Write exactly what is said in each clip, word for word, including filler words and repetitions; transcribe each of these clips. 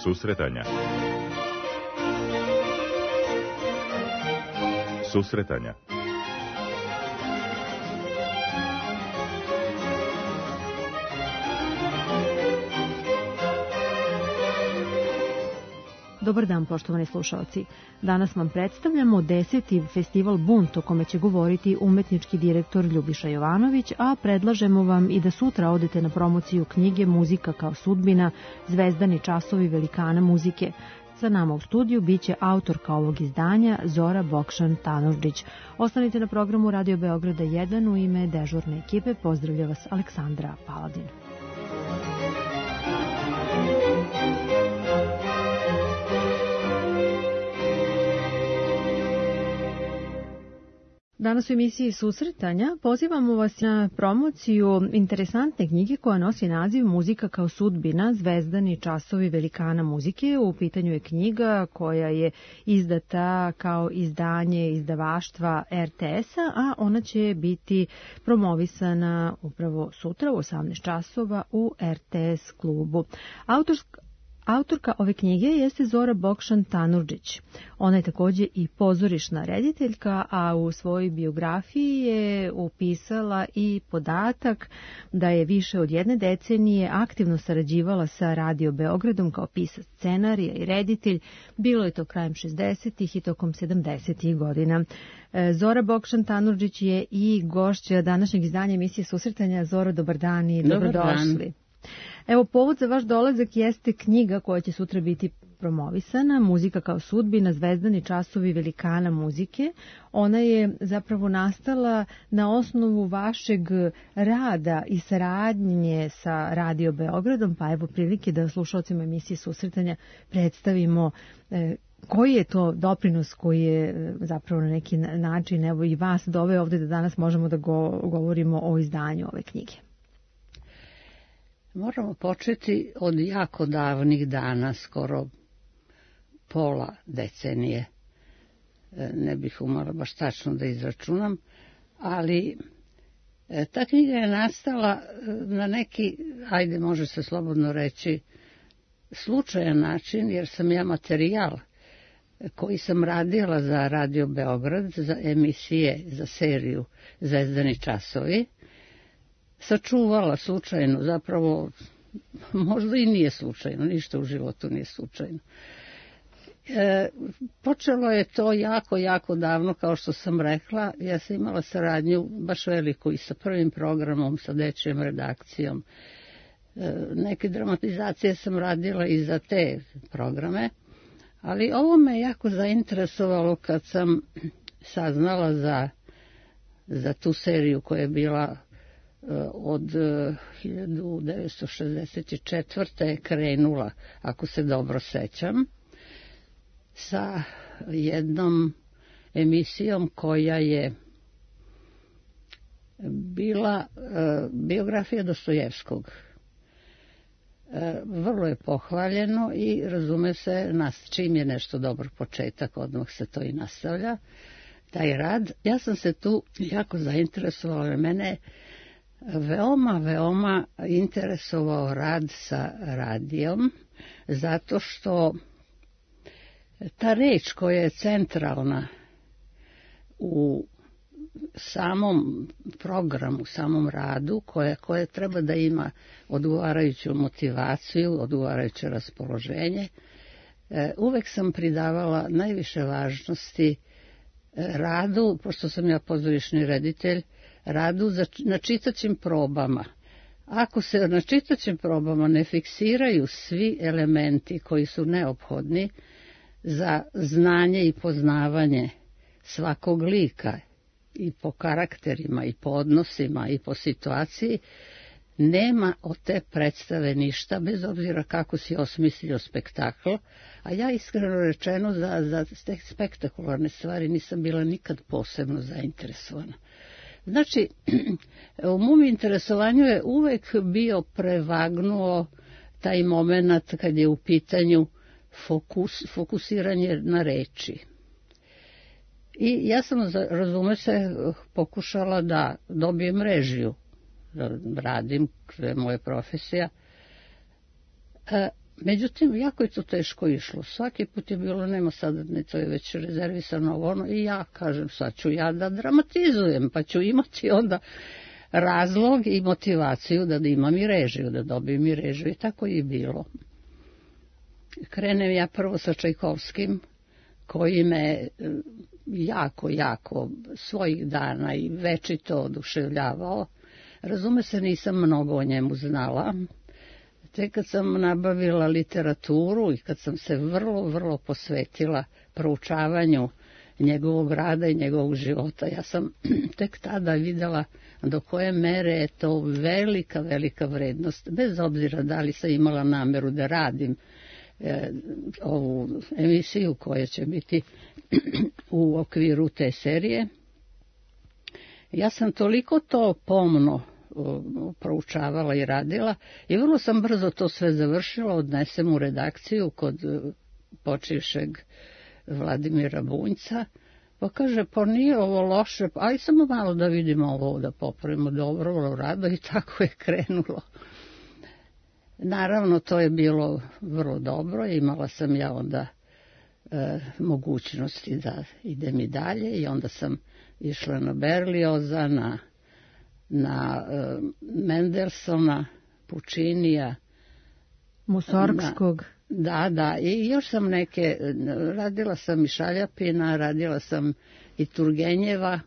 Susretanja. Susretanja. Dobar dan, poštovani slušalci. Danas vam predstavljamo deseti festival Bunt, o kome će govoriti umetnički direktor Ljubiša Jovanović, a predlažemo vam i da sutra odete na promociju knjige Muzika kao sudbina, zvezdani časovi velikana muzike. Sa nama u studiju biće autorka ovog izdanja Zora Bokšan-Tanurdžić. Ostanite na programu Radio Beograda jedan, u ime dežurne ekipe pozdravlja vas Aleksandra Paladin. Danas u emisiji Susretanja pozivamo vas na promociju interesantne knjige koja nosi naziv Muzika kao sudbina, zvezdani časovi velikana muzike. U pitanju je knjiga koja je izdata kao izdanje izdavaštva er te es-a, a ona će biti promovisana upravo sutra u osamnaest časova u er te es klubu. Autorska Autorka ove knjige jeste Zora Bokšan-Tanurdžić. Ona je takođe i pozorišna rediteljka, a u svojoj biografiji je upisala i podatak da je više od jedne decenije aktivno sarađivala sa Radio Beogradom kao pisac scenarija i reditelj. Bilo je to krajem šezdesetih i tokom sedamdesetih godina. Zora Bokšan-Tanurdžić je i gošća današnjeg izdanja emisije Susretanja. Zora, dobar dan i dobrodošli. Evo, povod za vaš dolazak jeste knjiga koja će sutra biti promovisana, Muzika kao sudbina, zvezdani časovi velikana muzike. Ona je zapravo nastala na osnovu vašeg rada i saradnje sa Radio Beogradom, pa evo prilike da slušalcima emisije Susretanja predstavimo e, koji je to doprinos koji je zapravo na neki način evo i vas doveo ovde da danas možemo da go, govorimo o izdanju ove knjige. Moramo početi od jako davnih dana, skoro pola decenije. Ne bih umala baš tačno da izračunam, ali ta knjiga je nastala na neki, ajde može se slobodno reći, slučajan način, jer sam ja materijal koji sam radila za Radio Beograd, za emisije, za seriju Zvezdani časovi, sačuvala slučajno, zapravo možda i nije slučajno, ništa u životu nije slučajno. E, počelo je to jako, jako davno, kao što sam rekla. Ja sam imala saradnju baš veliku i sa prvim programom, sa dečijom redakcijom. E, neke dramatizacije sam radila i za te programe, ali ovo me jako zainteresovalo kad sam saznala za, za tu seriju koja je bila od hiljadu devetsto šezdeset četvrte je krenula, ako se dobro sećam, sa jednom emisijom koja je bila biografija Dostojevskog. Vrlo je pohvaljeno i razume se, nas, čim je nešto dobar početak, odmah se to i nastavlja, taj rad. Ja sam se tu jako zainteresovala, mene veoma, veoma interesovao rad sa radijom, zato što ta reč koja je centralna u samom programu, samom radu, koja, koja treba da ima odgovarajuću motivaciju, odgovarajuće raspoloženje, uvek sam pridavala najviše važnosti radu, pošto sam ja pozorišni reditelj, radu za, na čitaćim probama. Ako se na čitaćim probama ne fiksiraju svi elementi koji su neophodni za znanje i poznavanje svakog lika i po karakterima i po odnosima i po situaciji, nema od te predstave ništa, bez obzira kako si osmislio spektakl, a ja iskreno rečeno za, za te spektakularne stvari nisam bila nikad posebno zainteresovana. Znači, u mom interesovanju je uvek bio prevagnuo taj moment kad je u pitanju fokus, fokusiranje na reči. I ja sam, razume se, pokušala da dobijem režiju, da radim, to je moja profesija, Međutim, jako je to teško išlo. Svaki put je bilo, nema sad, ne, to je već rezervisano ono, i ja kažem, sad ću ja da dramatizujem, pa ću imati onda razlog i motivaciju da imam i režiju, da dobijem i režiju. I tako je bilo. Krenem ja prvo sa Čajkovskim, koji me jako, jako svojih dana i večito oduševljavao. Razume se, nisam mnogo o njemu znala. Tek kad sam nabavila literaturu i kad sam se vrlo, vrlo posvetila proučavanju njegovog rada i njegovog života, ja sam tek tada videla do koje mere je to velika, velika vrednost, bez obzira da li sam imala nameru da radim e, ovu emisiju koja će biti u okviru te serije. Ja sam toliko to pomno proučavala i radila i vrlo sam brzo to sve završila, odnesem u redakciju kod počivšeg Vladimira Bunjca, pa kaže, pa nije ovo loše, aj samo malo da vidimo ovo, da popravimo, dobro, vrlo rado, i tako je krenulo. Naravno, to je bilo vrlo dobro, imala sam ja onda e, mogućnosti da idem i dalje, i onda sam išla na Berlioza, na na uh, Mendelsona, Puccinija, Musorgskog. Da, da, i još sam neke, radila sam i Šaljapina, radila sam i Turgenjeva,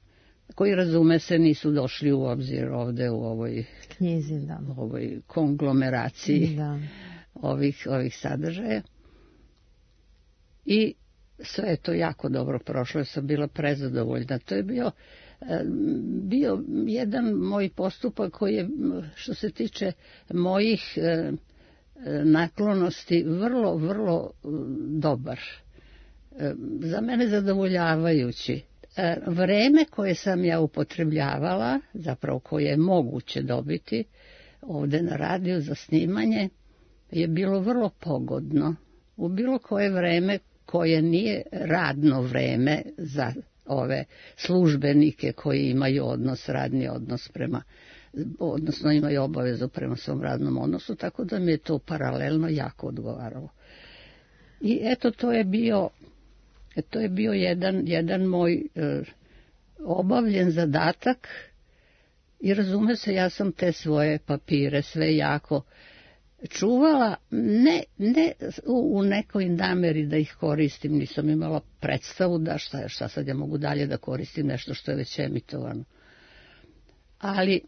koji, razume se, nisu došli u obzir ovde u ovoj knjizi, da. U ovoj konglomeraciji da. ovih, ovih sadržaja. I sve je to jako dobro prošlo, sam bila prezadovoljna. To je bio bio jedan moj postupak koji je, što se tiče mojih naklonosti, vrlo, vrlo dobar. Za mene zadovoljavajući. Vreme koje sam ja upotrebljavala, zapravo koje je moguće dobiti ovde na radiju za snimanje, je bilo vrlo pogodno. U bilo koje vreme koje nije radno vreme za ove službenike koji imaju odnos, radni odnos prema, odnosno imaju obavezu prema svom radnom odnosu, tako da mi je to paralelno jako odgovaralo. I eto, to je bio, to je bio jedan, jedan moj e, obavljen zadatak, i razume se, ja sam te svoje papire sve jako čuvala, ne, ne u, u nekoj nameri da ih koristim, nisam imala predstavu da šta, šta sad ja mogu dalje da koristim nešto što je već emitovano. Ali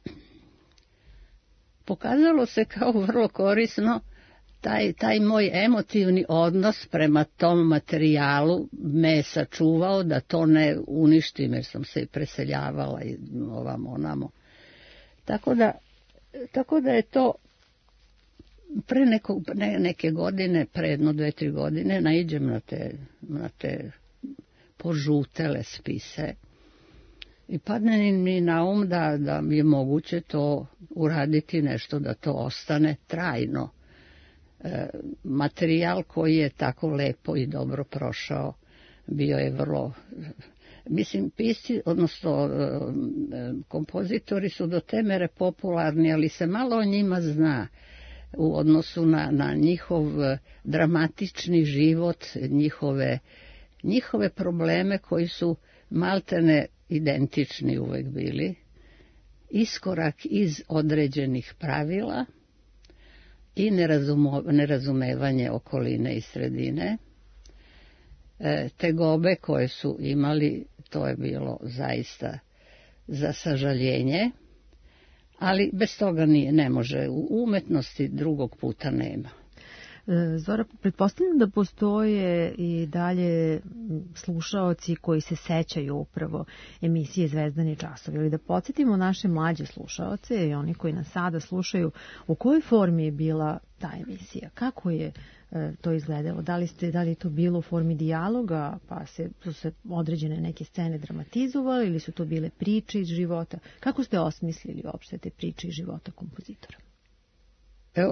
pokazalo se kao vrlo korisno taj, taj moj emotivni odnos prema tom materijalu me je sačuvao da to ne uništim, jer sam se i preseljavala i ovamo onamo. Tako da, tako da je to pre neko, ne, neke godine, pre jedno, dve, tri godine, naiđem na te, na te požutele spise i padne mi na um da, da mi je moguće to uraditi nešto, da to ostane trajno. E, materijal koji je tako lepo i dobro prošao, bio je vrlo... Mislim, pisci, odnosno kompozitori su do te mere popularni, ali se malo o njima zna u odnosu na, na njihov dramatični život, njihove, njihove probleme koji su maltene identični uvek bili, iskorak iz određenih pravila i nerazumo, nerazumevanje okoline i sredine. E, tegobe koje su imali, to je bilo zaista za sažaljenje, ali bez toga nije, ne može, u umetnosti drugog puta nema. Zora, pretpostavljam da postoje i dalje slušaoci koji se sećaju upravo emisije Zvezdani časovi, ali da podsjetimo naše mlađe slušaoce i oni koji nas sada slušaju, u kojoj formi je bila ta emisija, kako je to izgledalo, da li, ste, da li je to bilo u formi dijaloga, pa se, su se određene neke scene dramatizovale, ili su to bile priče iz života, kako ste osmislili uopšte te priče iz života kompozitora?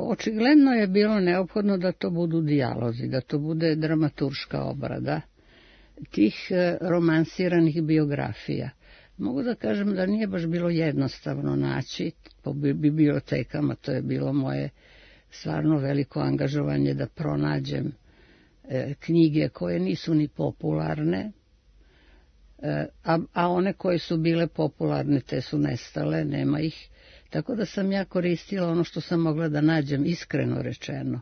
Očigledno je bilo neophodno da to budu dijalozi, da to bude dramaturška obrada tih romansiranih biografija. Mogu da kažem da nije baš bilo jednostavno naći po bibliotekama, to je bilo moje stvarno veliko angažovanje da pronađem e, knjige koje nisu ni popularne, e, a, a one koje su bile popularne te su nestale, nema ih. Tako da sam ja koristila ono što sam mogla da nađem, iskreno rečeno.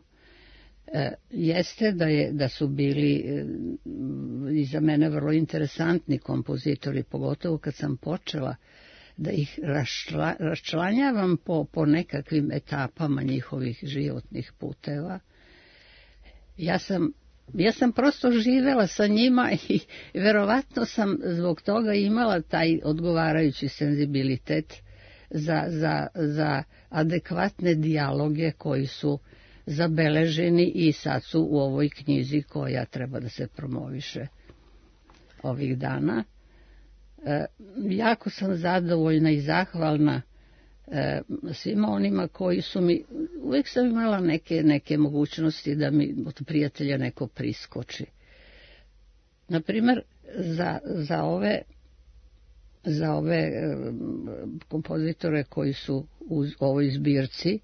E, jeste da, je, da su bili e, i za mene vrlo interesantni kompozitori, pogotovo kad sam počela da ih raščla, raščlanjavam po, po nekakvim etapama njihovih životnih puteva. Ja sam, ja sam prosto živela sa njima i verovatno sam zbog toga imala taj odgovarajući senzibilitet za, za, za adekvatne dijaloge koji su zabeleženi i sad su u ovoj knjizi koja treba da se promoviše ovih dana. E, jako sam zadovoljna i zahvalna e, svima onima koji su mi, uvijek sam imala neke, neke mogućnosti da mi od prijatelja neko priskoči. Naprimer, za, za ove za ove e, kompozitore koji su u ovoj zbirci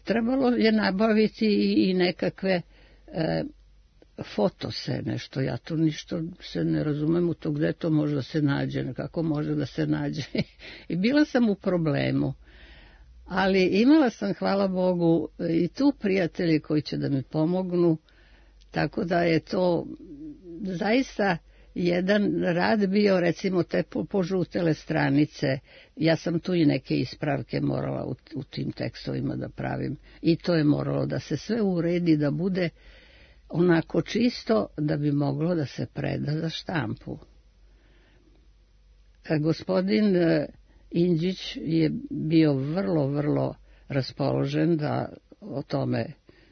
trebalo je nabaviti i, i nekakve e, fotose, nešto, ja tu ništa se ne razumem u to gde to može da se nađe, kako može da se nađe. I bila sam u problemu, ali imala sam, hvala Bogu, i tu prijatelji koji će da mi pomognu, tako da je to zaista jedan rad bio, recimo te požutele stranice, ja sam tu i neke ispravke morala u, u tim tekstovima da pravim i to je moralo da se sve uredi, da bude onako čisto da bi moglo da se preda za štampu. Gospodin Indžić je bio vrlo, vrlo raspoložen da o tome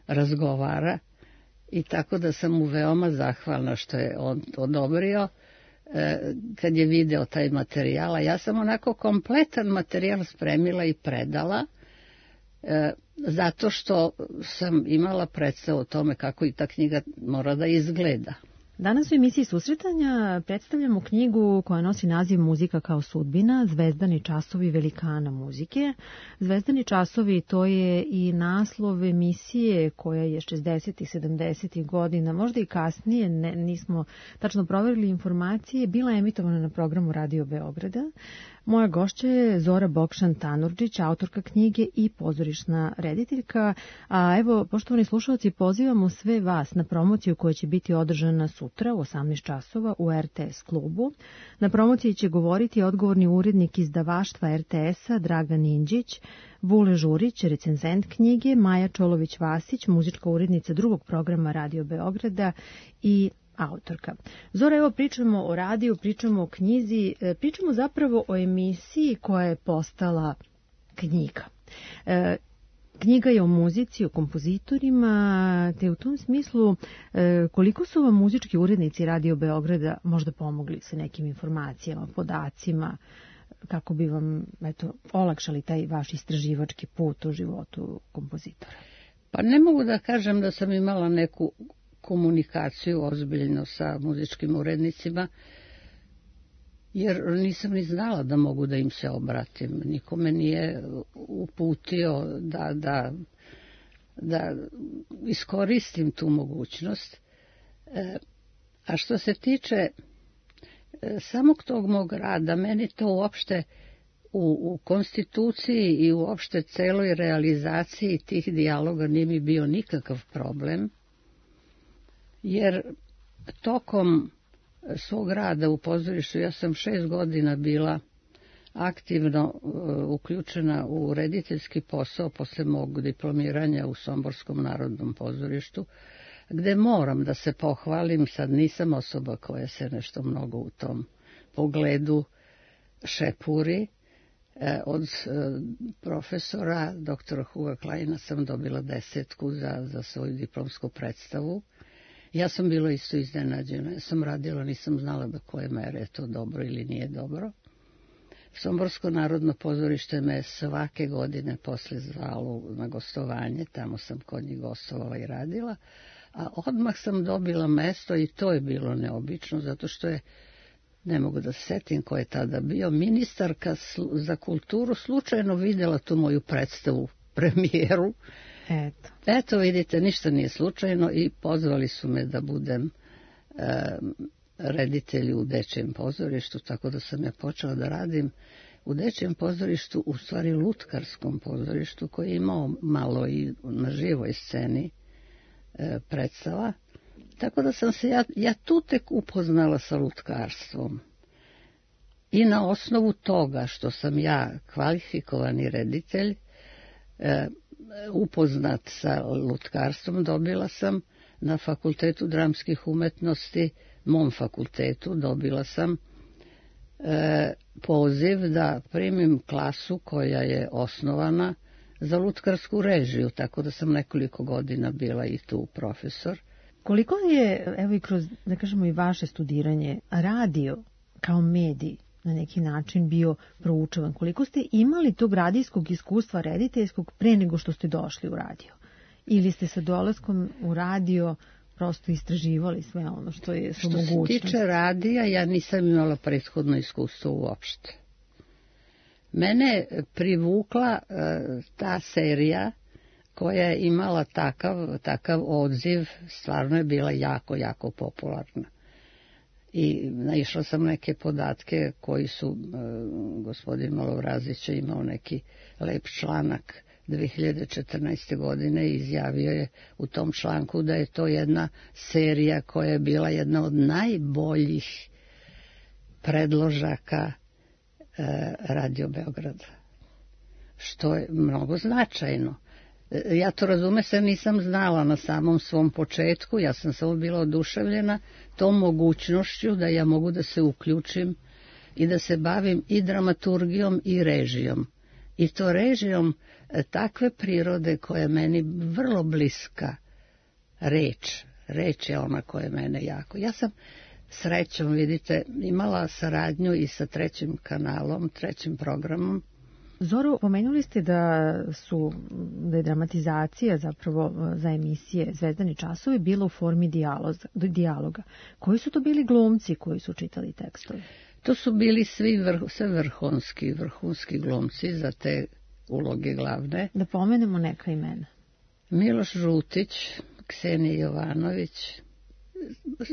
razgovara i tako da sam mu veoma zahvalna što je on odobrio kad je video taj materijal. Ja sam onako kompletan materijal spremila i predala, zato što sam imala predstavu o tome kako i ta knjiga mora da izgleda. Danas u emisiji Susretanja predstavljamo knjigu koja nosi naziv Muzika kao sudbina, Zvezdani časovi velikana muzike. Zvezdani časovi, to je i naslov emisije koja je šezdesetih, sedamdesetih godina, možda i kasnije, ne, nismo tačno proverili informacije, bila emitovana na programu Radio Beograda. Moja gošća je Zora Bokšan-Tanurdžić, autorka knjige i pozorišna rediteljka. A evo, poštovani slušalci, pozivamo sve vas na promociju koja će biti održana sutra u osamnaest časova u er te es klubu. Na promociji će govoriti odgovorni urednik izdavaštva er te es-a Dragan Indžić, Vule Žurić, recenzent knjige, Maja Čolović-Vasić, muzička urednica drugog programa Radio Beograda i autorka. Zora, evo pričamo o radiju, pričamo o knjizi, pričamo zapravo o emisiji koja je postala knjiga. E, knjiga je o muzici, o kompozitorima, te u tom smislu e, koliko su vam muzički urednici Radio Beograda možda pomogli sa nekim informacijama, podacima, kako bi vam eto, olakšali taj vaš istraživački put u životu kompozitora? Pa ne mogu da kažem da sam imala neku komunikaciju ozbiljno sa muzičkim urednicima, jer nisam ni znala da mogu da im se obratim. Niko me nije uputio da, da, da iskoristim tu mogućnost. E, a što se tiče e, samog tog mog rada, meni to uopšte u, u konstituciji i uopšte celoj realizaciji tih dijaloga nije mi bio nikakav problem, jer tokom svog rada u pozorištu ja sam šest godina bila aktivno uh, uključena u rediteljski posao posle mog diplomiranja u Somborskom narodnom pozorištu, gde moram da se pohvalim, sad nisam osoba koja se nešto mnogo u tom pogledu šepuri. E, od e, profesora doktora Huga Kleina sam dobila desetku za, za svoju diplomsku predstavu. Ja sam bila isto iznenađena. Ja sam radila, nisam znala do koje mere je to dobro ili nije dobro. Somborsko narodno pozorište me svake godine posle zvalo na gostovanje, tamo sam kod njih gostovala i radila, a odmah sam dobila mesto i to je bilo neobično, zato što je, ne mogu da se setim ko je tada bio, ministarka za kulturu slučajno vidjela tu moju predstavu premijeru. Eto. Eto, vidite, ništa nije slučajno i pozvali su me da budem e, reditelj u Dečijem pozorištu, tako da sam ja počela da radim u Dečijem pozorištu, u stvari lutkarskom pozorištu, koji je imao malo i na živoj sceni e, predstava. Tako da sam se ja, ja tu tek upoznala sa lutkarstvom. I na osnovu toga što sam ja kvalifikovani reditelj, e, upoznat sa lutkarstvom, dobila sam na Fakultetu dramskih umetnosti, mom fakultetu, dobila sam e, poziv da primim klasu koja je osnovana za lutkarsku režiju, tako da sam nekoliko godina bila i tu profesor. Koliko je, evo i kroz, da kažemo i vaše studiranje, radio kao medij na neki način bio proučavan? Koliko ste imali tog radijskog iskustva rediteljskog pre nego što ste došli u radio? Ili ste sa dolaskom u radio prosto istraživali sve ono što je su mogućnosti? Što se tiče radija, ja nisam imala prethodno iskustvo uopšte. Mene privukla uh, ta serija koja je imala takav, takav odziv, stvarno je bila jako, jako popularna. I naišla sam neke podatke koji su, uh, gospodin Malovrazić je imao neki lep članak dve hiljade četrnaeste. godine i izjavio je u tom članku da je to jedna serija koja je bila jedna od najboljih predložaka uh, Radio Beograda, što je mnogo značajno. Ja to razume se nisam znala na samom svom početku, ja sam samo bila oduševljena tom mogućnošću da ja mogu da se uključim i da se bavim i dramaturgijom i režijom. I to režijom takve prirode koja je meni vrlo bliska. Reč, reč je ona koja je mene jako. Ja sam srećom, vidite, imala saradnju i sa trećim kanalom, trećim programom. Zoro, pomenuli ste da su da je dramatizacija zapravo za emisije Zvezdani časovi bila u formi dijaloga. dijaloga. Koji su to bili glumci koji su čitali tekstove? To su bili svi vrh, sve vrhunski, vrhunski glumci za te uloge glavne. Da pomenemo neka imena. Miloš Žutić, Ksenija Jovanović,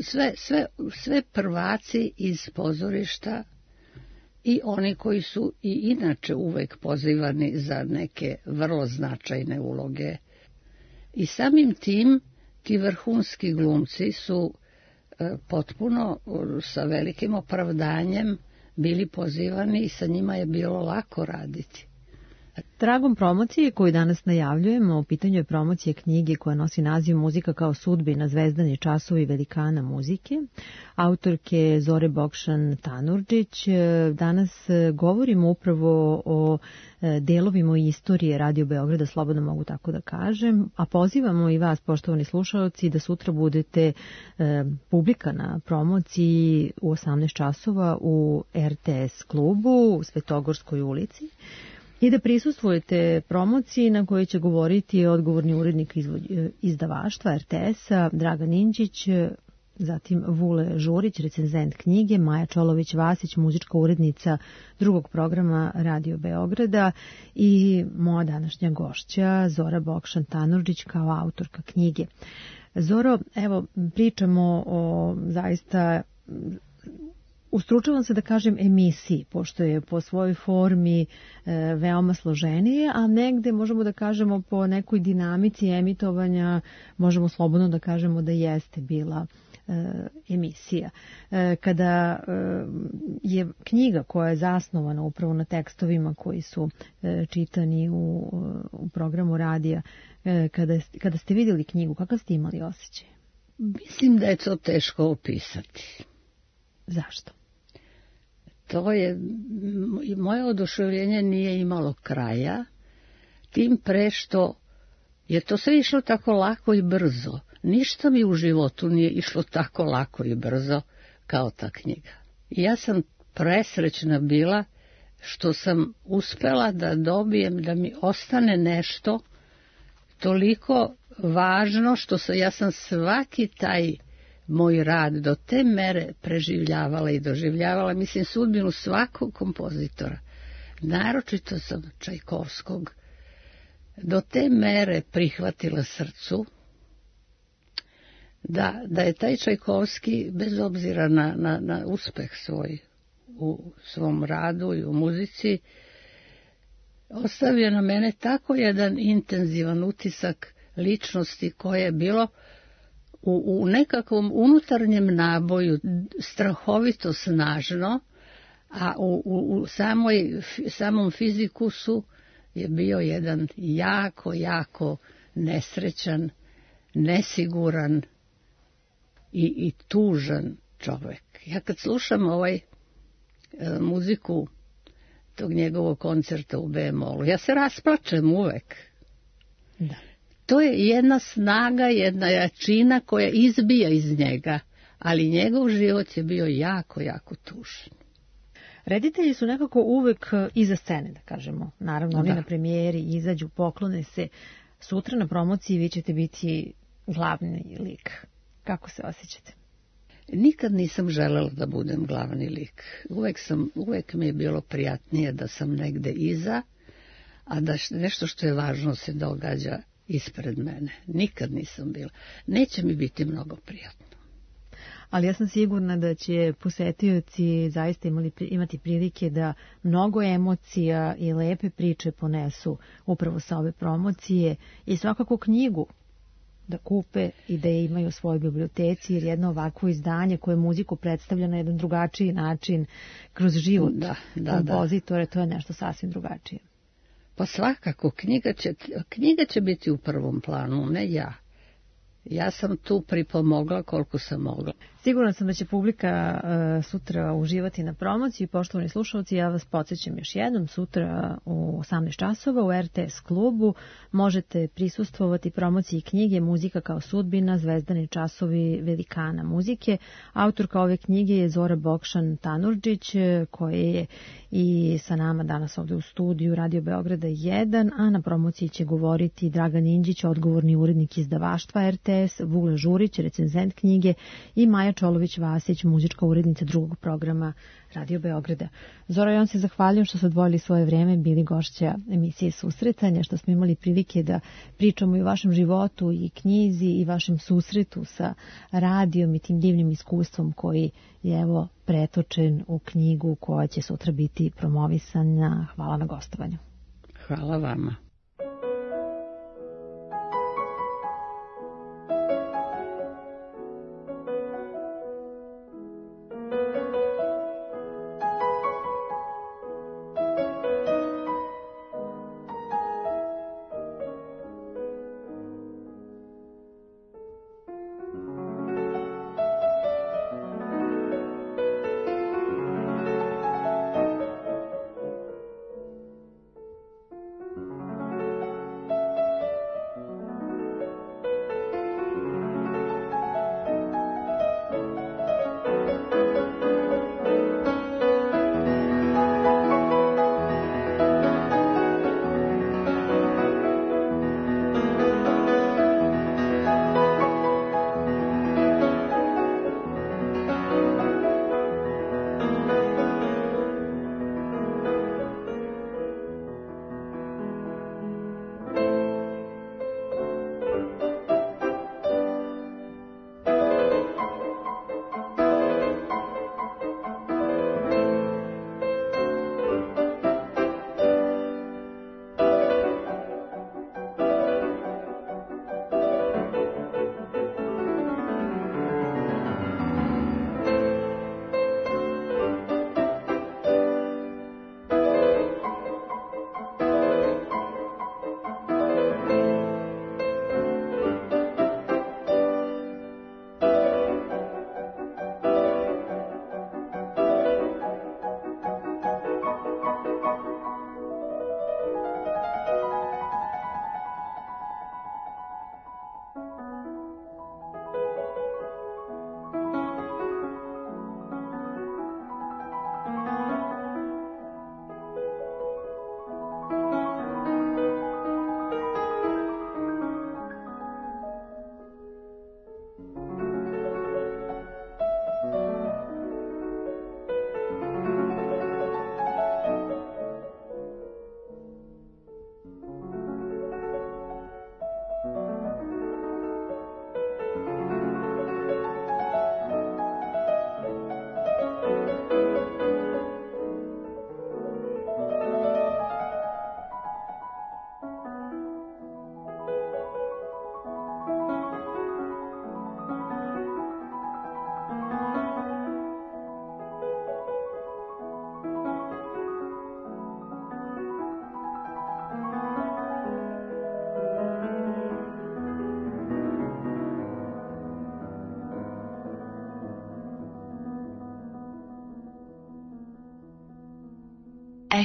sve, sve, sve prvaci iz pozorišta i oni koji su i inače uvek pozivani za neke vrlo značajne uloge. I samim tim ti vrhunski glumci su e, potpuno sa velikim opravdanjem bili pozivani i sa njima je bilo lako raditi. Tragom promocije koju danas najavljujemo, u pitanju je promocije knjige koja nosi naziv Muzika kao sudbina, Zvezdani časovi velikana muzike, autorke Zore Bokšan Tanurdžić. Danas govorimo upravo o delovima istorije Radio Beograda, slobodno mogu tako da kažem, a pozivamo i vas, poštovani slušalci, da sutra budete publika na promociji u osamnaest časova u R T S klubu u Svetogorskoj ulici. I da prisustvujete promociji na kojoj će govoriti odgovorni urednik izdavaštva R T S-a Dragan Inđić, zatim Vule Žurić, recenzent knjige, Maja Čolović-Vasić, muzička urednica drugog programa Radio Beograda i moja današnja gošća Zora Bokšan Tanurdžić kao autorka knjige. Zoro, evo, pričamo o zaista ustručavam se da kažem emisiji, pošto je po svojoj formi e, veoma složenije, a negde možemo da kažemo po nekoj dinamici emitovanja, možemo slobodno da kažemo da jeste bila e, emisija. E, kada e, je knjiga koja je zasnovana upravo na tekstovima koji su e, čitani u, u programu radija, e, kada, kada ste vidjeli knjigu, kakav ste imali osjećaj? Mislim da je to teško opisati. Zašto? To je, moje oduševljenje nije imalo kraja, tim pre što je to sve išlo tako lako i brzo. Ništa mi u životu nije išlo tako lako i brzo kao ta knjiga. I ja sam presrećna bila što sam uspela da dobijem, da mi ostane nešto toliko važno, što sam, ja sam svaki taj moj rad do te mere preživljavala i doživljavala, mislim, sudbinu svakog kompozitora. Naročito sam Čajkovskog do te mere prihvatila srcu da, da je taj Čajkovski, bez obzira na, na, na uspeh svoj u svom radu i u muzici, ostavio na mene tako jedan intenzivan utisak ličnosti koje je bilo u, u nekakvom unutarnjem naboju strahovito snažno, a u, u, u samoj, samom fizikusu je bio jedan jako, jako nesrećan, nesiguran i, i tužan čovjek. Ja kad slušam ovaj e, muziku tog njegovog koncerta u bemolu, ja se rasplačem uvek. Da. To je jedna snaga, jedna jačina koja izbija iz njega, ali njegov život je bio jako, jako tužan. Reditelji su nekako uvek iza scene, da kažemo. Naravno, oni Da. na premijeri izađu, poklone se. Sutra na promociji vi ćete biti glavni lik. Kako se osjećate? Nikad nisam želela da budem glavni lik. Uvek, sam, uvek mi je bilo prijatnije da sam negde iza, a da nešto što je važno se događa ispred mene. Nikad nisam bila. Neće mi biti mnogo prijatno. Ali ja sam sigurna da će posetioci zaista imali, imati prilike da mnogo emocija i lepe priče ponesu upravo sa ove promocije i svakako knjigu da kupe i da je imaju u svojoj biblioteci, jer jedno ovakvo izdanje koje muziku predstavlja na jedan drugačiji način kroz život Da, da, kompozitore, to je nešto sasvim drugačije. Pa svakako, knjiga će, knjiga će biti u prvom planu, ne ja. Ja sam tu pripomogla koliko sam mogla. Sigurno sam da će publika uh, sutra uživati na promociji. Poštovani slušalci, ja vas podsjećam još jednom, sutra u osamnaest časova u R T S klubu možete prisustvovati promociji knjige Muzika kao sudbina, zvezdani časovi velikana muzike. Autorka ove knjige je Zora Bokšan Tanurdžić, koja je i sa nama danas ovdje u studiju Radio Beograda jedan, a na promociji će govoriti Dragan Indžić, odgovorni urednik izdavaštva R T S, Vule Žurić, recenzent knjige i Maja Čolović-Vasić, muzička urednica drugog programa Radio Beograda. Zora, ja vam se zahvaljujem što ste odvojili svoje vreme, bili gošća emisije Susretanja, što smo imali prilike da pričamo i o vašem životu i knjizi i vašem susretu sa radijom i tim divnim iskustvom koji je evo pretočen u knjigu koja će sutra biti promovisana. Hvala na gostovanju. Hvala vama.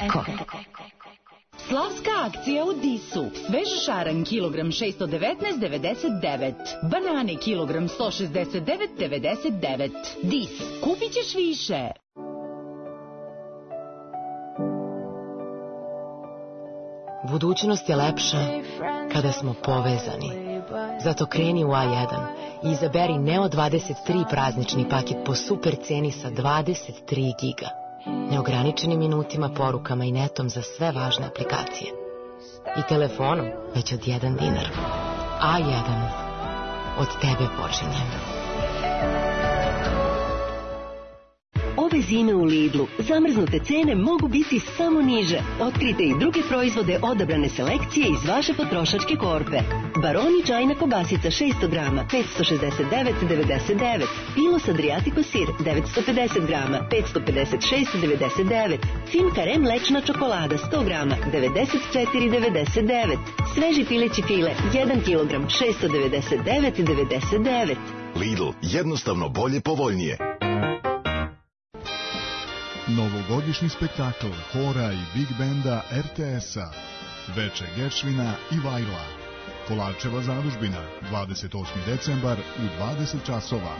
Eko. Slavska akcija u Disu. Svež šaran kilogram šesto devetnaest devedeset devet. Banane kilogram sto šezdeset devet devedeset devet. Dis. Kupit ćeš više. Budućnost je lepša kada smo povezani. Zato kreni u A jedan i izaberi Neo dvadeset tri praznični paket po super ceni sa dvadeset tri giga. Neograničenim minutima, porukama i netom za sve važne aplikacije. I telefonom već od jedan dinar. A jedan. Od tebe počinje. Ove zime u Lidlu zamrznute cene mogu biti samo niže. Otkrite i druge proizvode odabrane selekcije iz vaše potrošačke korpe. Baroni čajna kobasica šesto grama, petsto šezdeset devet devedeset devet. Pilos Adriatico sir, devetsto pedeset grama, petsto pedeset šest devedeset devet. Finkarem mlečna čokolada, sto grama, devedeset četiri devedeset devet. Sveži pileći file, jedan kilogram, šesto devedeset devet devedeset devet. Lidl, jednostavno bolje, povoljnije. Novogodišnji spektakl hora i big benda R T S-a, Veče Geršvina i Vajla, Kolarčeva zadužbina, dvadeset osmi decembar u dvadeset časova.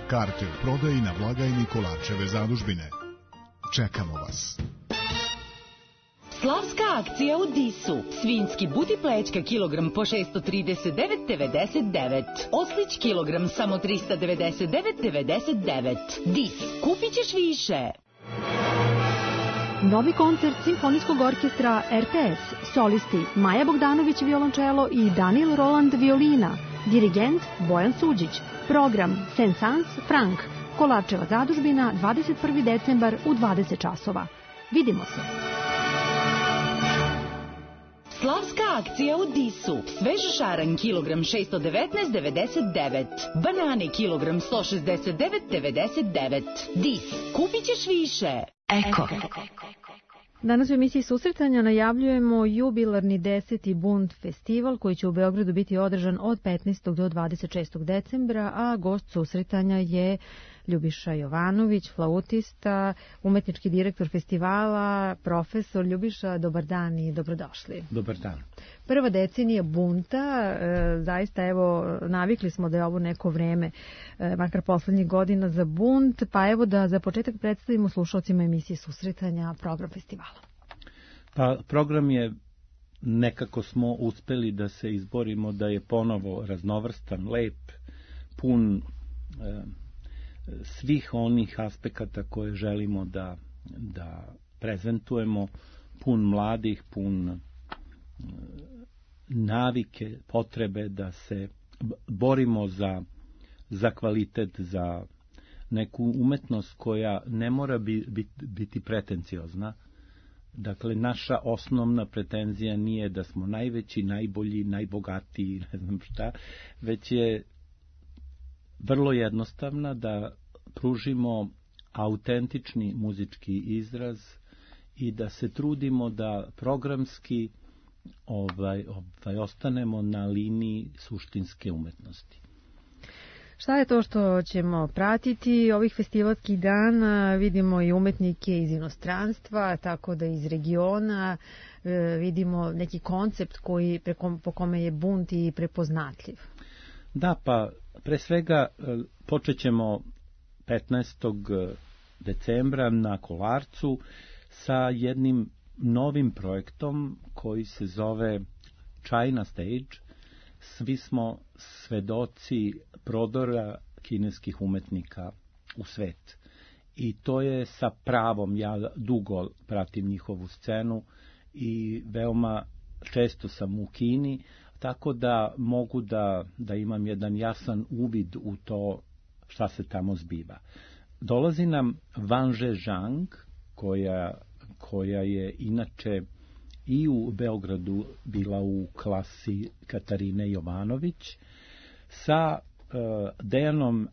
Karte u prodaji na blagajni Kolarčeve zadužbine. Čekamo vas. Slavska akcija u Disu. Svinjski buti plećka kilogram po šesto trideset devet devedeset devet. Oslić kilogram samo trista devedeset devet devedeset devet. Dis. Kupit ćeš više. Novi koncert Simfonijskog orkestra R T S, solisti Maja Bogdanović violončelo i Daniel Roland violina, dirigent Bojan Suđić, program Saint-Saëns Frank, Kolarčeva zadužbina, dvadeset prvi decembar u dvadeset časova. Vidimo se! Slavska akcija u Disu. Svež šaran kilogram šesto devetnaest devedeset devet. Banane kilogram sto šezdeset devet devedeset devet. Dis. Kupit ćeš više. Eko. Danas u emisiji Susretanja najavljujemo jubilarni deseti Bund festival koji će u Beogradu biti održan od petnaestog do dvadeset šestog decembra, a gost Susretanja je Ljubiša Jovanović, flautista, umetnički direktor festivala, profesor. Ljubiša, dobar dan i dobrodošli. Dobar dan. Prva decenija Bunta, e, zaista evo navikli smo da je ovo neko vreme, e, makar poslednjih godina za Bunt, pa evo da za početak predstavimo slušalcima emisije Susretanja program festivala. Pa program je, nekako smo uspeli da se izborimo da je ponovo raznovrstan, lep, pun e, svih onih aspekata koje želimo da, da prezentujemo, pun mladih, pun navike, potrebe da se borimo za, za kvalitet, za neku umetnost koja ne mora biti, biti pretenciozna. Dakle, naša osnovna pretenzija nije da smo najveći, najbolji, najbogatiji, ne znam šta, već je vrlo jednostavna, da pružimo autentični muzički izraz i da se trudimo da programski ovaj, ovaj, ostanemo na liniji suštinske umetnosti. Šta je to što ćemo pratiti ovih festivalskih dana? Vidimo i umetnike iz inostranstva, tako da iz regiona vidimo neki koncept koji, preko, po kome je Bunt i prepoznatljiv. Da, pa pre svega počet ćemo petnaestog decembra na Kolarcu sa jednim novim projektom koji se zove China Stage. Svi smo svedoci prodora kineskih umetnika u svet. I to je sa pravom, ja dugo pratim njihovu scenu i veoma često sam u Kini, tako da mogu da, da imam jedan jasan uvid u to šta se tamo zbiva. Dolazi nam Wang Zhang, koja, koja je inače i u Beogradu bila u klasi Katarine Jovanović, sa uh, Dejanom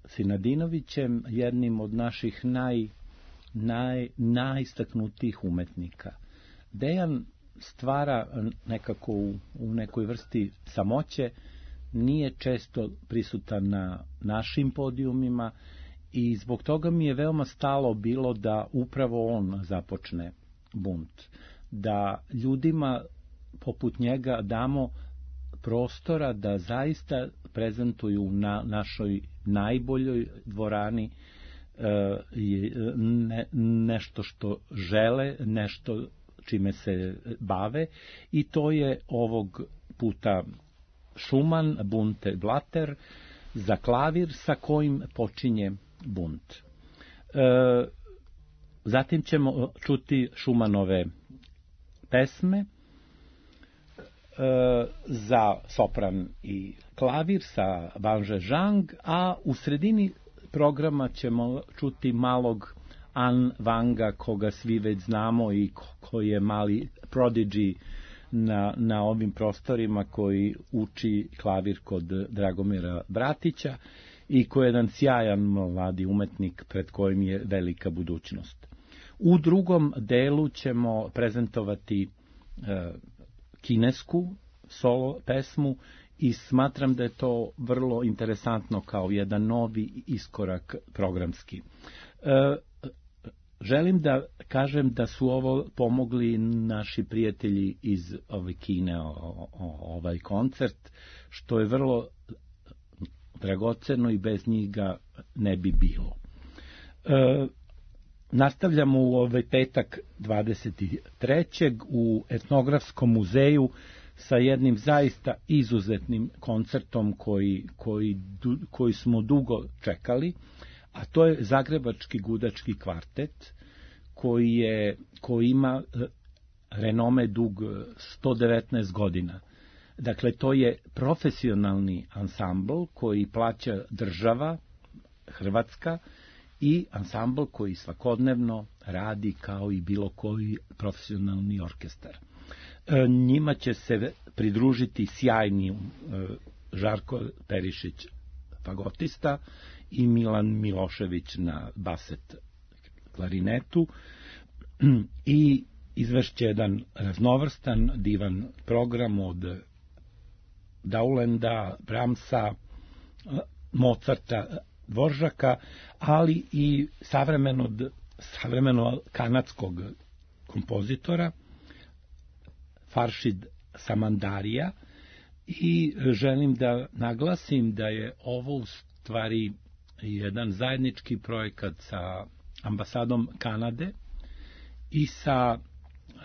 Sinadinovićem, jednim od naših naj, naj, najistaknutijih umetnika. Dejan stvara nekako u, u nekoj vrsti samoće, nije često prisutan na našim podijumima i zbog toga mi je veoma stalo bilo da upravo on započne bunt, da ljudima poput njega damo prostora da zaista prezentuju na našoj najboljoj dvorani ne, nešto što žele, nešto čime se bave, i to je ovog puta Schumann Bunte Blatter za klavir sa kojim počinje bunt. E, zatim ćemo čuti Schumannove pesme e, za sopran i klavir sa Vanže Zhang, a u sredini programa ćemo čuti malog An Wanga, koga svi već znamo i koji je mali prodigy na, na ovim prostorima, koji uči klavir kod Dragomira Bratića i koji je jedan sjajan mladi umetnik pred kojim je velika budućnost. U drugom delu ćemo prezentovati e, kinesku solo pesmu i smatram da je to vrlo interesantno kao jedan novi iskorak programski. E, želim da kažem da su ovo pomogli naši prijatelji iz ove Kine, o, o, ovaj koncert, što je vrlo dragoceno i bez njih ga ne bi bilo. E, nastavljamo u ovaj petak dvadeset trećeg u Etnografskom muzeju sa jednim zaista izuzetnim koncertom koji, koji, koji smo dugo čekali, a to je Zagrebački gudački kvartet, koji, je, koji ima renome dug sto devetnaest godina. Dakle, to je profesionalni ansambl koji plaća država Hrvatska i ansambl koji svakodnevno radi kao i bilo koji profesionalni orkestar. E, njima će se pridružiti sjajni e, Žarko Perišić fagotista i Milan Milošević na baset klarinetu i izvešće jedan raznovrstan, divan program od Daulenda, Brahmsa, Mozarta, Dvoržaka, ali i savremenog, savremeno kanadskog kompozitora Faršid Samandarija, i želim da naglasim da je ovo u stvari jedan zajednički projekat sa ambasadom Kanade i sa e,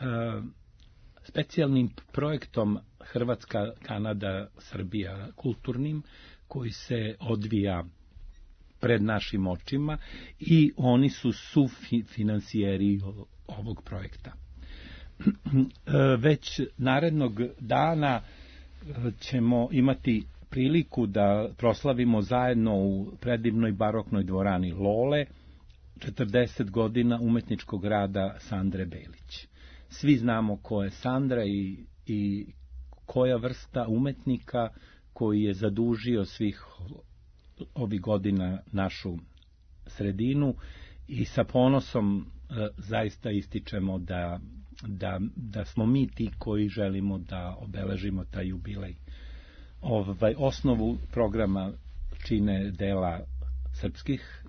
specijalnim projektom Hrvatska, Kanada, Srbija kulturnim, koji se odvija pred našim očima i oni su sufinancijeri ovog projekta. Već narednog dana ćemo imati priliku da proslavimo zajedno u predivnoj baroknoj dvorani Lole četrdeset godina umetničkog rada Sandre Belić. Svi znamo ko je Sandra i, i koja vrsta umetnika koji je zadužio svih ovih godina našu sredinu, i sa ponosom e, zaista ističemo da, da, da smo mi ti koji želimo da obeležimo taj jubilej. Ovaj, osnovu programa čine dela srpskih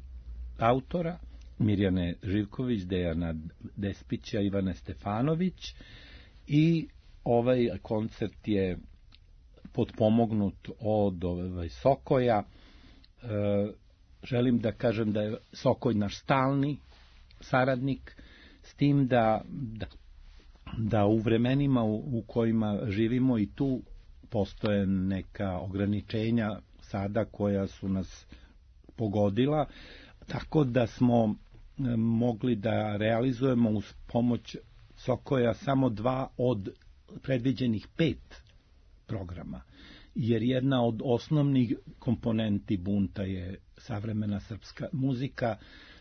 autora, Mirjane Živković, Dejana Despića, Ivane Stefanović, i ovaj koncert je potpomognut od ovaj, Sokoja. E, želim da kažem da je Sokoj naš stalni saradnik, s tim da, da, da u vremenima u, u kojima živimo i tu postoje neka ograničenja sada koja su nas pogodila, tako da smo mogli da realizujemo uz pomoć Sokoja samo dva od predviđenih pet programa, jer jedna od osnovnih komponenti bunta je savremena srpska muzika,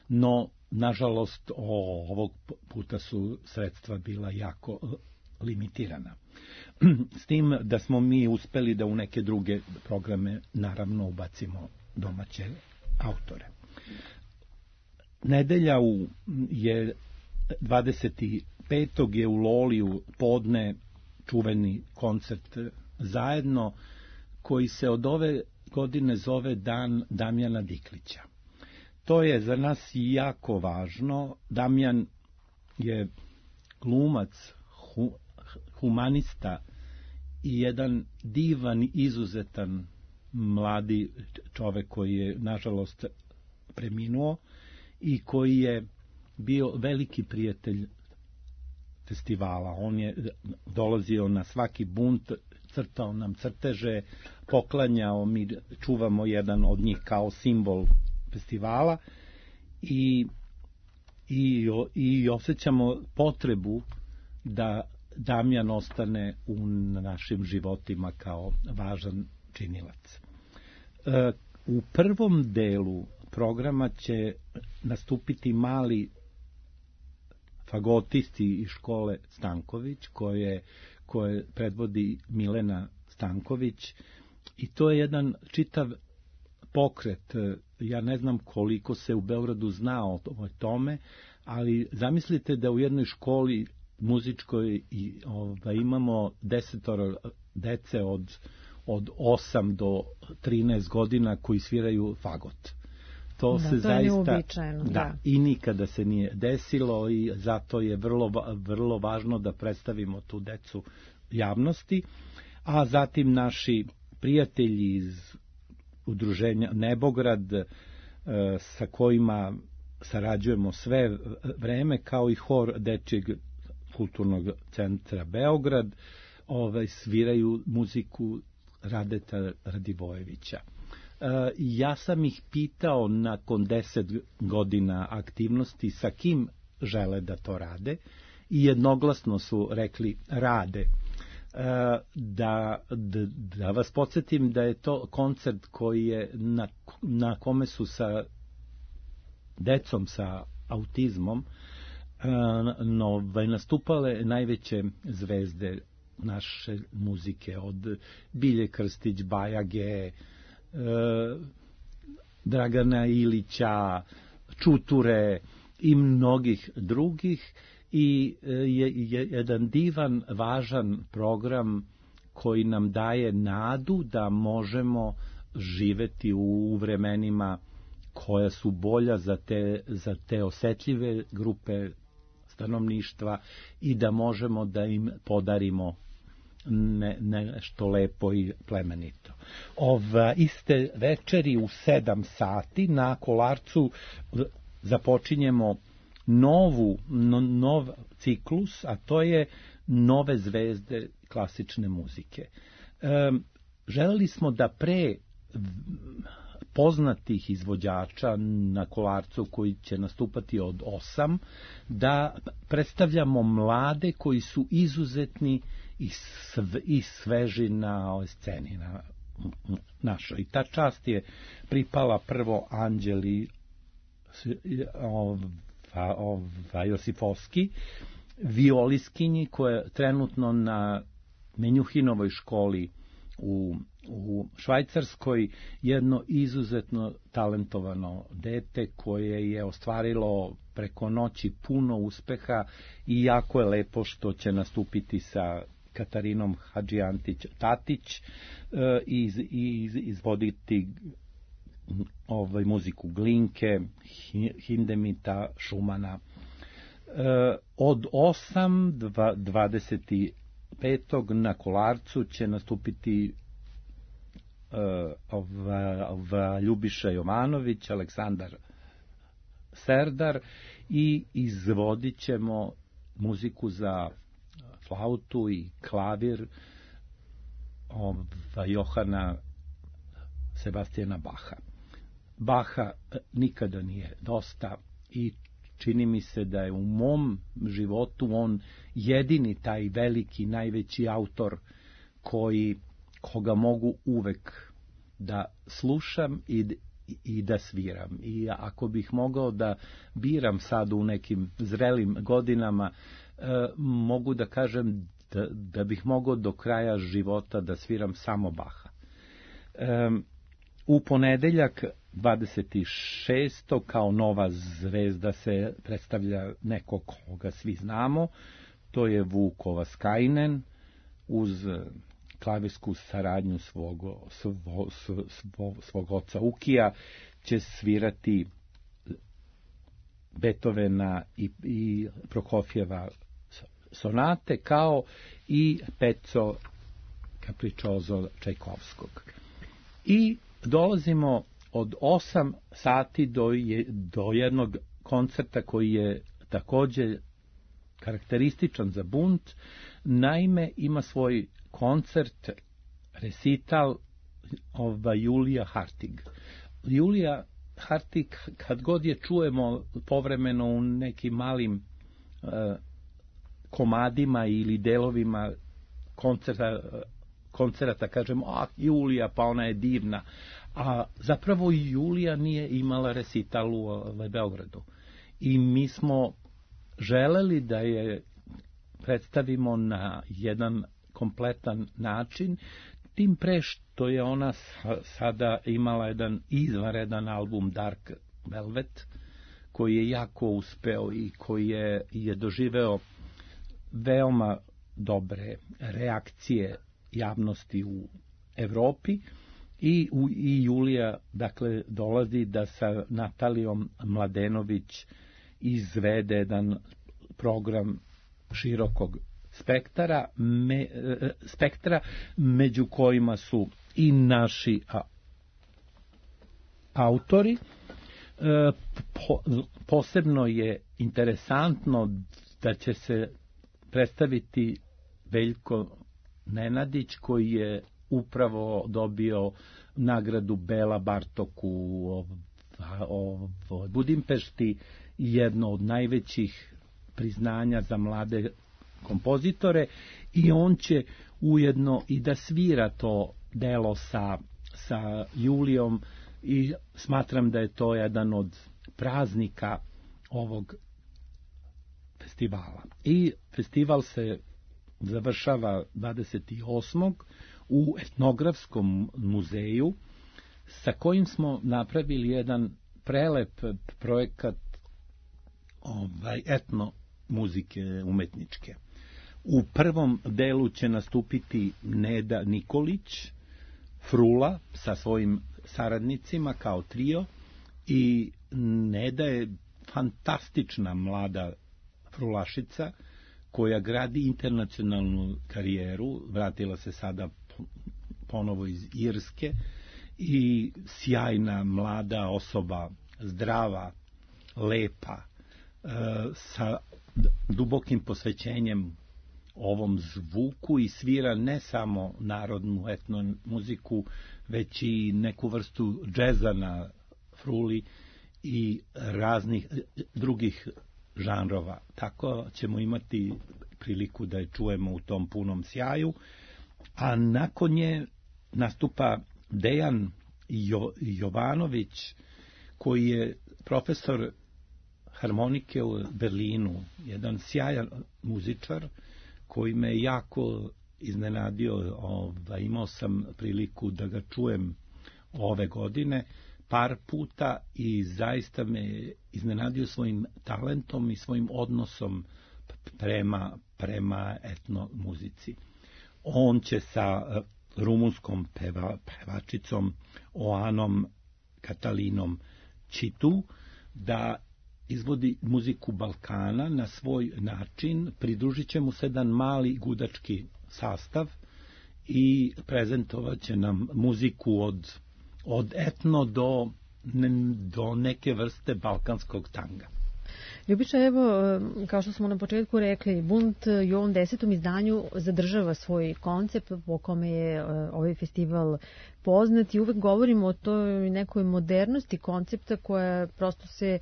no nažalost ovog puta su sredstva bila jako limitirana. S tim da smo mi uspeli da u neke druge programe naravno ubacimo domaće autore. Nedelja u, je dvadeset petog je u Loliju podne čuveni koncert Zajedno, koji se od ove godine zove Dan Damjana Diklića. To je za nas jako važno. Damjan je glumac, hu, humanista i jedan divan, izuzetan mladi čovek koji je, nažalost, preminuo i koji je bio veliki prijatelj festivala. On je dolazio na svaki bunt, crtao nam crteže, poklanjao, mi čuvamo jedan od njih kao simbol festivala i, i, i osjećamo potrebu da Damjan ostane u našim životima kao važan činilac. E, u prvom delu programa će nastupiti mali fagotisti iz škole Stanković, koje, koje predvodi Milena Stanković, i to je jedan čitav pokret. Ja ne znam koliko se u Beogradu zna o tome, ali zamislite da u jednoj školi muzičkoj i, ovaj, imamo desetoro dece od, od osam do trinaest godina koji sviraju fagot. To da, se to zaista da, da, i nikada se nije desilo i zato je vrlo, vrlo važno da predstavimo tu decu javnosti, a zatim naši prijatelji iz udruženja Nebograd, e, sa kojima sarađujemo sve vreme, kao i hor Dečijeg kulturnog centra Beograd, ovaj, sviraju muziku Radeta Radivojevića. E, ja sam ih pitao nakon deset godina aktivnosti sa kim žele da to rade i jednoglasno su rekli rade. E, da, da, da vas podsjetim da je to koncert koji je na, na kome su sa decom sa autizmom no, nastupale najveće zvezde naše muzike, od Bilje Krstić, Bajage, Dragana Ilića, Čuture i mnogih drugih, i je, je jedan divan, važan program koji nam daje nadu da možemo živeti u vremenima koja su bolja za te, za te osetljive grupe stanovništva i da možemo da im podarimo ne, nešto lepo i plemenito. Ova iste večeri u sedam sati na Kolarcu započinjemo novu, no, nov ciklus, a to je nove zvezde klasične muzike. E, želeli smo da pre poznatih izvođača na Kolarcu koji će nastupati od osam, da predstavljamo mlade koji su izuzetni i, sve, i sveži na ovoj sceni na našoj. I ta čast je pripala prvo Anđeli ova, ova Josifovski, violiskinji koja je trenutno na Menjuhinovoj školi u, u Švajcarskoj, jedno izuzetno talentovano dete koje je ostvarilo preko noći puno uspeha i jako je lepo što će nastupiti sa Katarinom Hadžijantić-Tatić e, i iz, izvoditi ovaj, muziku Glinke, Hindemita, Šumana. E, od osam do dvadeset petog na Kolarcu će nastupiti uh, ova, ova Ljubiša Jovanović, Aleksandar Serdar i izvodit ćemo muziku za flautu i klavir ova Johana Sebastijana Baha. Baha nikada nije dosta i čini mi se da je u mom životu on jedini taj veliki, najveći autor koji, koga mogu uvek da slušam i, i da sviram. I ako bih mogao da biram sad u nekim zrelim godinama, eh, mogu da kažem da, da bih mogao do kraja života da sviram samo Baha. Eh, u ponedeljak dvadeset šestog kao nova zvezda se predstavlja neko koga svi znamo, to je Vuk Ovaskainen, uz klavirsku saradnju svog, svo, svo, svog oca Ukija će svirati Beethovena i, i Prokofjeva sonate, kao i Pezzo Capriccioso Čajkovskog. I dolazimo od osam sati do, je, do jednog koncerta koji je također karakterističan za Bund. Naime, ima svoj koncert, recital ova Julija Hartig. Julija Hartig, kad god je čujemo povremeno u nekim malim uh, komadima ili delovima koncerta, koncerta, kažemo, a Julija, pa ona je divna. A zapravo Julija nije imala recital u Beogradu. I mi smo želeli da je predstavimo na jedan kompletan način, tim pre što je ona sada imala jedan izvanredan album Dark Velvet, koji je jako uspeo i koji je, je doživeo veoma dobre reakcije javnosti u Evropi. I, u, i Julija, dakle, dolazi da sa Natalijom Mladenović izvede jedan program širokog spektra, me, spektra među kojima su i naši a, autori. E, po, posebno je interesantno da će se predstaviti Veljko Nenadić, koji je upravo dobio nagradu Bela Bartok u ovoj Budimpešti, jedno od najvećih priznanja za mlade kompozitore, i on će ujedno i da svira to delo sa, sa Julijom, i smatram da je to jedan od praznika ovog festivala. I festival se završava dvadeset osmog u Etnografskom muzeju, sa kojim smo napravili jedan prelep projekat ovaj, etno muzike umetničke. U prvom delu će nastupiti Neda Nikolić, Frula sa svojim saradnicima kao trio, i Neda je fantastična mlada frulašica koja gradi internacionalnu karijeru, vratila se sada ponovo iz Irske, i sjajna mlada osoba, zdrava, lepa, sa dubokim posvećenjem ovom zvuku, i svira ne samo narodnu etno muziku, već i neku vrstu džeza na fruli i raznih drugih žanrova. Tako ćemo imati priliku da je čujemo u tom punom sjaju. A nakon nje nastupa Dejan jo- Jovanović, koji je profesor harmonike u Berlinu, jedan sjajan muzičar koji me jako iznenadio. Ovaj, imao sam priliku da ga čujem ove godine par puta i zaista me iznenadio svojim talentom i svojim odnosom prema, prema etno muzici. On će sa rumunskom peva, pevačicom Oanom Katalinom Čitu da izvodi muziku Balkana na svoj način. Pridružit će mu se jedan mali gudački sastav i prezentovat će nam muziku od, od etno do, do neke vrste balkanskog tanga. Ljubiša, evo, kao što smo na početku rekli, Bund i u ovom desetom izdanju zadržava svoj koncept po kome je ovaj festival poznat, i uvek govorimo o toj nekoj modernosti koncepta koja prosto se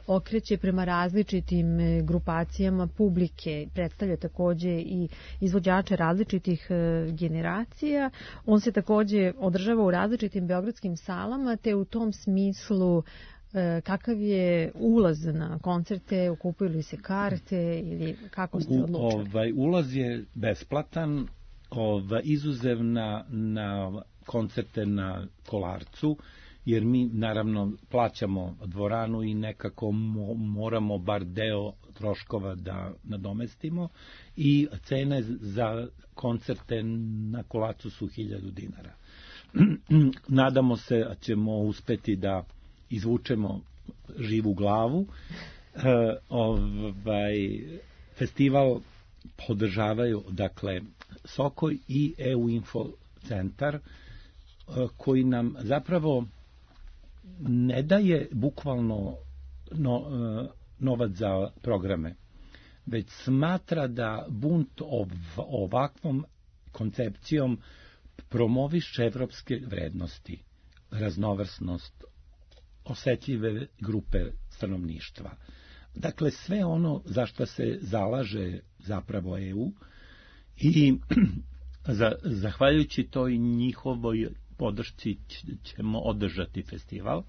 okreće prema različitim grupacijama publike, predstavlja takođe i izvođače različitih generacija. On se takođe održava u različitim beogradskim salama, te u tom smislu kakav je ulaz na koncerte, kupuju li se karte ili kako ste odlučili? Ovaj, ulaz je besplatan, ovaj, izuzev na, na koncerte na Kolarcu, jer mi naravno plaćamo dvoranu i nekako mo, moramo bar deo troškova da nadomestimo, i cene za koncerte na Kolarcu su hiljadu dinara. Nadamo se da ćemo uspeti da izvučemo živu glavu. E, ovaj, festival podržavaju, dakle, Sokoj i E U Info centar, koji nam zapravo ne daje bukvalno no, novac za programe, već smatra da bunt ov, ovakvom koncepcijom promoviše evropske vrednosti, raznovrsnost, osetljive grupe stanovništva. Dakle, sve ono za što se zalaže zapravo E U i za, zahvaljujući toj njihovoj podršci ćemo održati festival,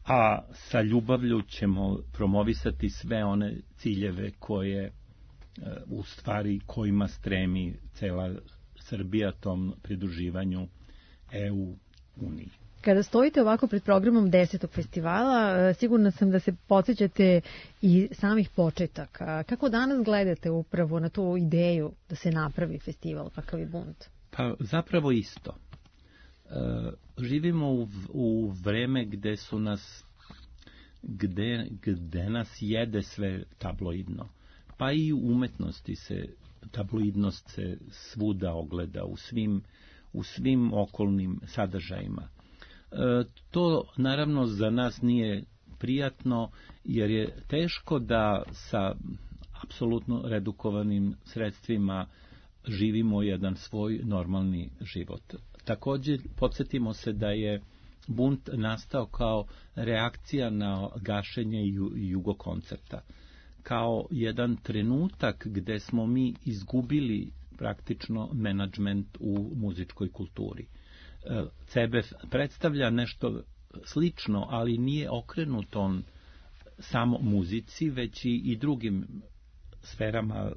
a sa ljubavlju ćemo promovisati sve one ciljeve koje u stvari kojima stremi cela Srbija tom pridruživanju E U uniji. Kada stojite ovako pred programom desetog festivala, sigurna sam da se podsjećate i samih početaka. Kako danas gledate upravo na tu ideju da se napravi festival kakav je Bunt? Pa zapravo isto. E, živimo u, u vreme gde su nas gde, gde nas jede sve tabloidno. Pa i u umetnosti se tabloidnost se svuda ogleda u svim, u svim okolnim sadržajima. E, to naravno za nas nije prijatno, jer je teško da sa apsolutno redukovanim sredstvima živimo jedan svoj normalni život. Također podsjetimo se da je Bunt nastao kao reakcija na gašenje Jugokoncerta, kao jedan trenutak gde smo mi izgubili praktično menadžment u muzičkoj kulturi. C B F predstavlja nešto slično, ali nije okrenut on samo muzici, već i, i drugim sferama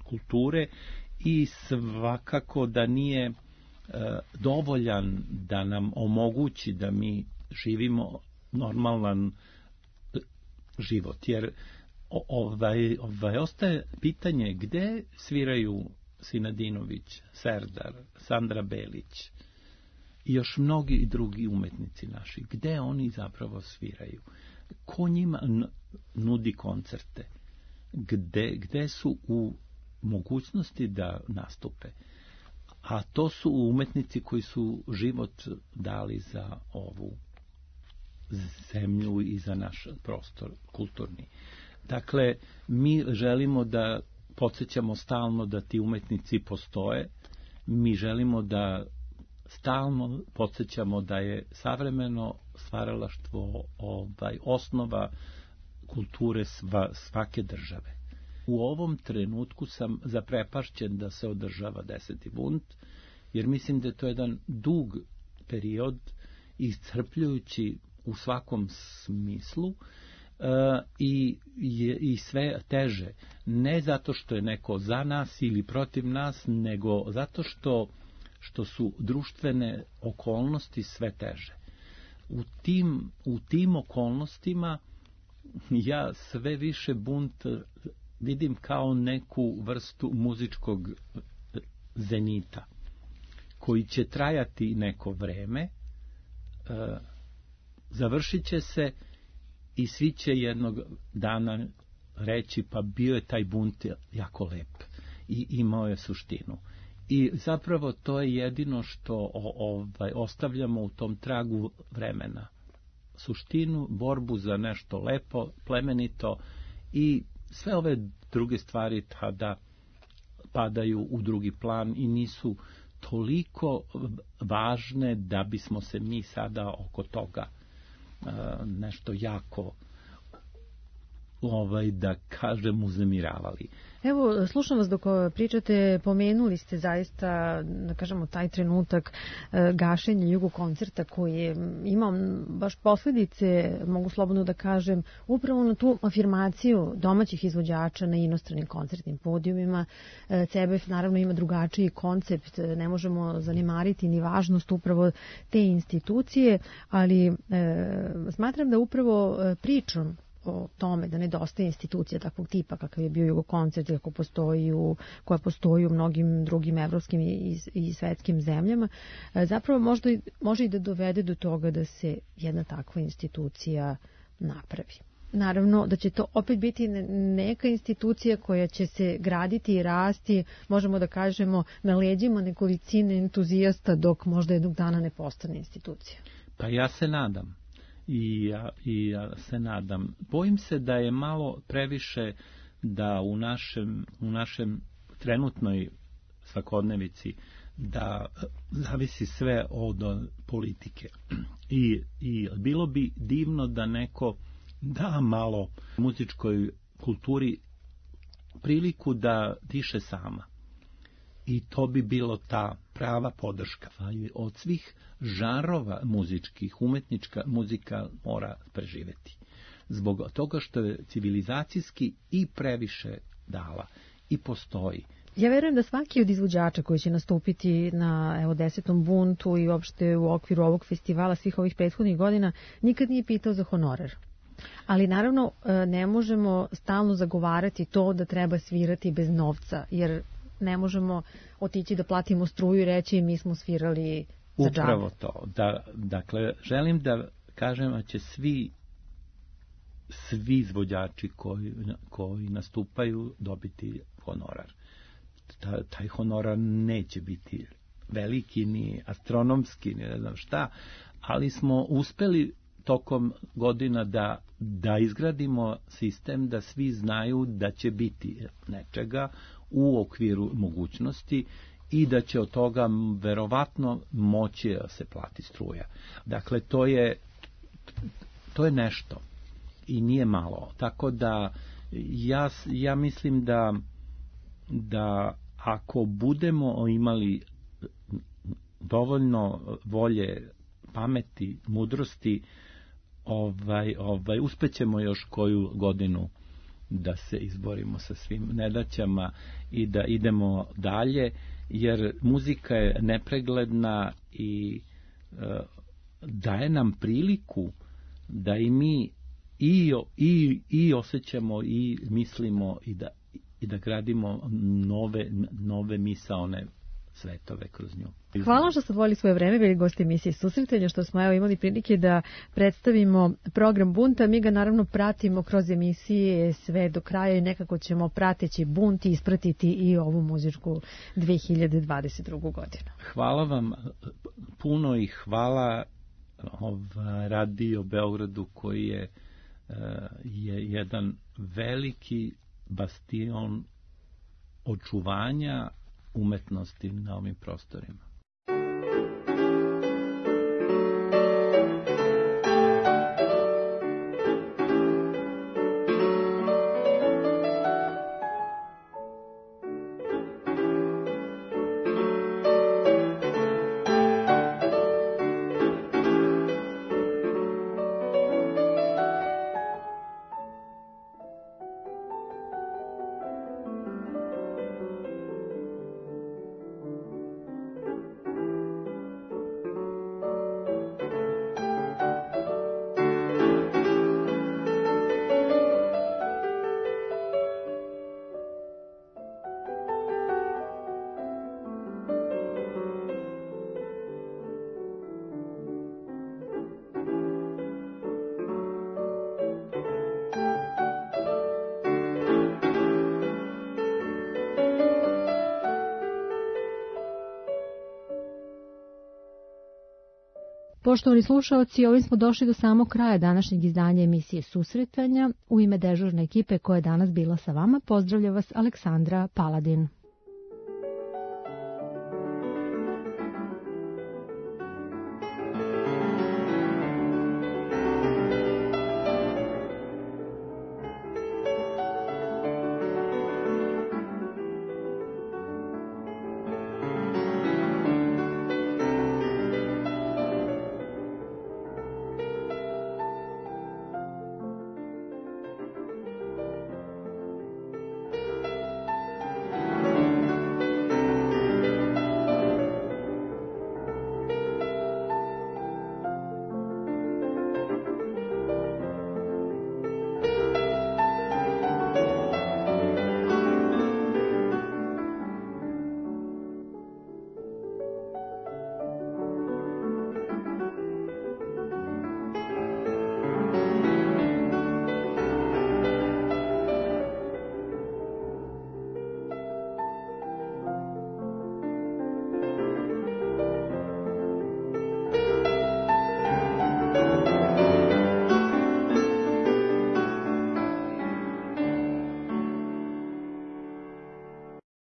kulture i svakako da nije e, dovoljan da nam omogući da mi živimo normalan život, jer ovaj, ovaj ostaje pitanje gde sviraju Sinadinović, Serdar, Sandra Belić i još mnogi drugi umetnici naši. Gde oni zapravo sviraju? Ko njima nudi koncerte? Gde, gde su u mogućnosti da nastupe? A to su umetnici koji su život dali za ovu zemlju i za naš prostor kulturni. Dakle, mi želimo da podsjećamo stalno da ti umetnici postoje. Mi želimo da stalno podsjećamo da je savremeno stvaralaštvo ovaj, osnova kulture sva, svake države. U ovom trenutku sam zaprepašćen da se održava deseti Bunt, jer mislim da je to jedan dug period, iscrpljujući u svakom smislu, uh, i, i sve teže. Ne zato što je neko za nas ili protiv nas, nego zato što što su društvene okolnosti sve teže. U tim, u tim okolnostima ja sve više Bunt vidim kao neku vrstu muzičkog zenita, koji će trajati neko vreme, e, završit će se i svi će jednog dana reći pa bio je taj Bunt jako lep i imao je suštinu. I zapravo to je jedino što ovaj, ostavljamo u tom tragu vremena. Suštinu, borbu za nešto lepo, plemenito i sve ove druge stvari tada padaju u drugi plan i nisu toliko važne da bismo se mi sada oko toga nešto jako ovaj, da kažem uzemiravali. Evo, slušam vas dok pričate, pomenuli ste zaista, da kažemo, taj trenutak e, gašenja Jugokoncerta koji je imao baš posljedice, mogu slobodno da kažem, upravo na tu afirmaciju domaćih izvođača na inostranim koncertnim podijumima. E, C B F naravno ima drugačiji koncept, ne možemo zanemariti ni važnost upravo te institucije, ali e, smatram da upravo pričom o tome da nedostaje institucija takvog tipa kakav je bio Jugokoncert, kako postoji u, koja postoji u mnogim drugim evropskim i, i svetskim zemljama, zapravo možda, može i da dovede do toga da se jedna takva institucija napravi. naravno da će to opet biti neka institucija koja će se graditi i rasti, možemo da kažemo, na leđima nekolicine entuzijasta dok možda jednog dana ne postane institucija. Pa ja se nadam. I ja, I ja se nadam. Bojim se da je malo previše da u našem, u našem trenutnoj svakodnevici da zavisi sve od politike. I, i bilo bi divno da neko da malo muzičkoj kulturi priliku da diše sama. I to bi bilo ta prava podrška. Od svih žanrova muzičkih, umetnička muzika mora preživeti. Zbog toga što je civilizacijski i previše dala i postoji. Ja verujem da svaki od izvođača koji će nastupiti na evo, desetom buntu i uopšte u okviru ovog festivala svih ovih prethodnih godina nikad nije pitao za honorar. Ali naravno ne možemo stalno zagovarati to da treba svirati bez novca, jer ne možemo otići da platimo struju i reći mi smo svirali za džabe. Upravo to. Da, dakle, želim da kažem da će svi svi izvođači koji, koji nastupaju dobiti honorar. Ta, taj honorar neće biti veliki, ni astronomski, ni ne znam šta, ali smo uspeli tokom godina da, da izgradimo sistem da svi znaju da će biti nečega u okviru mogućnosti i da će od toga verovatno moći da se plati struja. Dakle, to je, to je nešto i nije malo. Tako da ja, ja mislim da, da ako budemo imali dovoljno volje, pameti, mudrosti, ovaj, ovaj, uspećemo još koju godinu da se izborimo sa svim nedaćama i da idemo dalje, jer muzika je nepregledna i e, daje nam priliku da i mi i, i, i osjećamo i mislimo i da, i da gradimo nove, nove misaone svetove kroz nju. Hvala što ste odvojili svoje vreme, bili gosti emisije Susretanja, što smo evo imali prilike da predstavimo program Bunta. Mi ga naravno pratimo kroz emisije sve do kraja i nekako ćemo prateći Bunt ispratiti i ovu muzičku dve hiljade dvadeset drugu godinu. Hvala vam puno i hvala Radio Beogradu koji je, je jedan veliki bastion očuvanja umetnosti na ovim prostorima. Poštovani slušaoci, ovim smo došli do samog kraja današnjeg izdanja emisije Susretanja. U ime dežurne ekipe koja je danas bila sa vama, pozdravlja vas Aleksandra Paladin.